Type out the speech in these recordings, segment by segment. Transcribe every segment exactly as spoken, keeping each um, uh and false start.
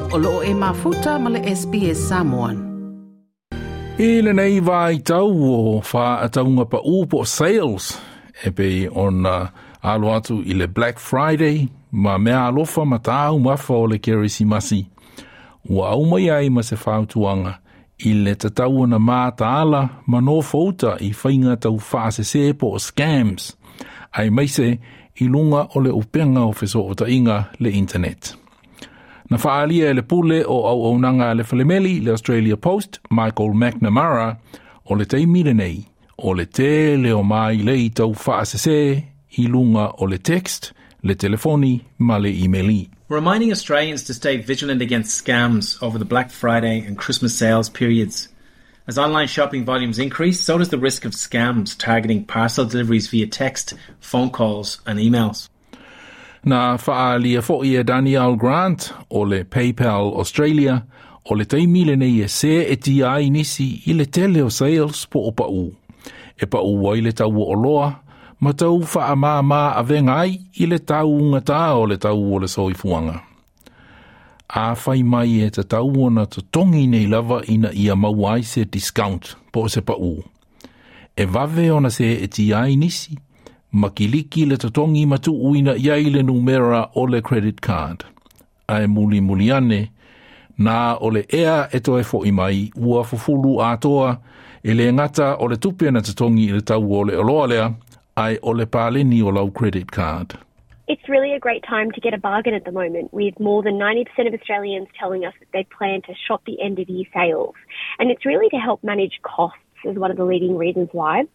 O loo e mafuta ma le S B S Samoan. I lenei vaitau o faataunga paʻū po o sales e pei ona alo atu i le Black Friday ma mea alofa ma taumafa o le Kerisimasi. Ua aumai ai ma se fautuaga i le tatau ona mataala ma nofouta i faiga tau faasesē po o scams, aemaise i luga o le upega o fesootaiga le internet. Na faaalia e le pule o auaunaga a le falemeli le Australia Post, Michael McNamara, o le taimi lenei, o le tele o mailei tau faasesē i luga o le text, le telefoni ma le email. Reminding Australians to stay vigilant against scams over the Black Friday and Christmas sales periods. As online shopping volumes increase, so does the risk of scams targeting parcel deliveries via text, phone calls, and emails. Na faaalia foʻi e Danielle Grant o le PayPal Australia o le taimi lenei e seetia ai nisi i le tele o sales po o paʻū. E paʻū ai le tau o oloa, ma tau faamāmā avega ai i le taugatā o le tau o le soifuaga. Afai mai e tatau ona totogi nei lava ina ia maua ai se discount po o se paʻū. E vave ona seetia ai nisi, ma kiliki le totogi ma tuuina i ai le numera o le credit card. Ae mulimuli ane, na o le ea e toe foʻi mai ua fufulu atoa e le gata o le tupe na totogi i le tau o le oloa lea, ae o le paleni o lau credit card. It's really a great time to get a bargain at the moment, with more than ninety percent of Australians telling us that they plan to shop the end of year sales. And it's really to help manage costs is one of the leading reasons why.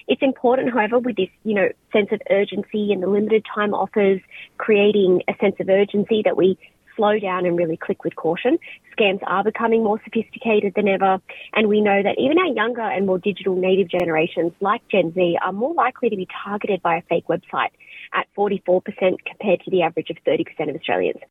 It's important, however, with this, you know, sense of urgency and the limited time offers creating a sense of urgency, that we slow down and really click with caution. Scams are becoming more sophisticated than ever, and we know that even our younger and more digital native generations like Gen Z are more likely to be targeted by a fake website at forty-four percent compared to the average of thirty percent of Australians.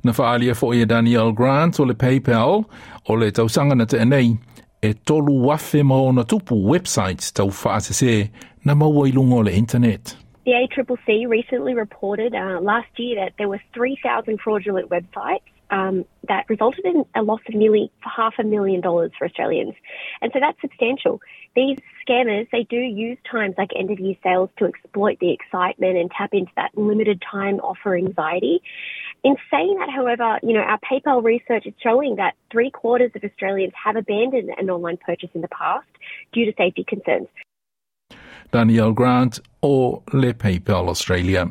Na faaalia foʻi e Danielle Grant o le PayPal o le tausaga na tea nei e tolu afe ma ona tupu websites tau faasesē na maua i luga o le internet. The A C C C recently reported uh, last year that there were three thousand fraudulent websites um, that resulted in a loss of nearly half a million dollars for Australians. And so that's substantial. These scammers, they do use times like end of year sales to exploit the excitement and tap into that limited time offer anxiety. In saying that, however, you know, our PayPal research is showing that three quarters of Australians have abandoned an online purchase in the past due to safety concerns. Danielle Grant o le PayPal Australia.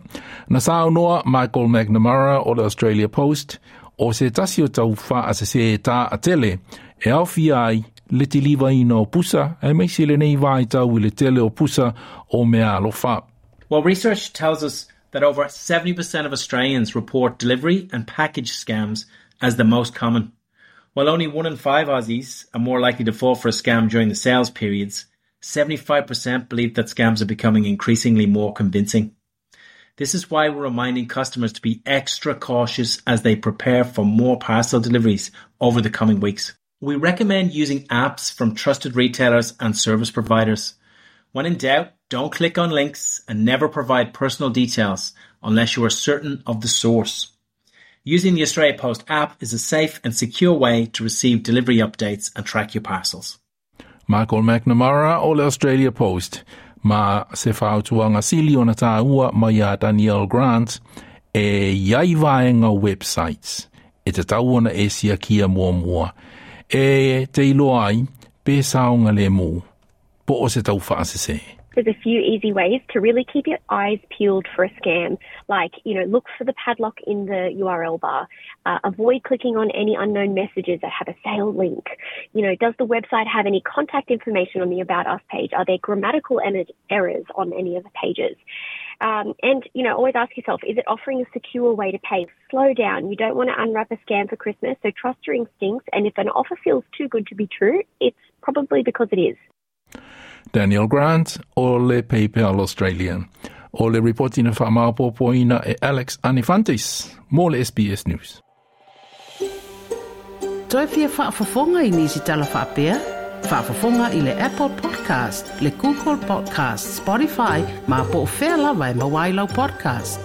Na saunoa Michael McNamara o le Australia Post o se tasi o tau faasesē taatele e aofia ai le tilivaina o pusa aemaise lenei vaitau i le tele o pusa o mea alofa. Well, research tells us that over seventy percent of Australians report delivery and package scams as the most common. While only one in five Aussies are more likely to fall for a scam during the sales periods, seventy-five percent believe that scams are becoming increasingly more convincing. This is why we're reminding customers to be extra cautious as they prepare for more parcel deliveries over the coming weeks. We recommend using apps from trusted retailers and service providers. When in doubt, don't click on links and never provide personal details unless you are certain of the source. Using the Australia Post app is a safe and secure way to receive delivery updates and track your parcels. Michael McNamara o le Australia Post ma se fautuaga sili ona tāua mai iā Danielle Grant e iai vaega websites e tatau ona e siakia muamua e te iloa ai pe saogalemu po o se tau faasesē. There's a few easy ways to really keep your eyes peeled for a scam. Like, you know, look for the padlock in the U R L bar. Uh, avoid clicking on any unknown messages that have a sale link. You know, does the website have any contact information on the About Us page? Are there grammatical errors on any of the pages? Um, and, you know, always ask yourself, is it offering a secure way to pay? Slow down. You don't want to unwrap a scam for Christmas, so trust your instincts. And if an offer feels too good to be true, it's probably because it is. Danielle Grant o le PayPal Australia. O le ripoti na faamaopoopoina e Alex Anifantis, mo le S B S News. Toe fia faafofoga i nisi tala faapea? Faafofoga i le Apple Podcast, le Google Podcast, Spotify, ma po o fea lava e maua ai lau podcast.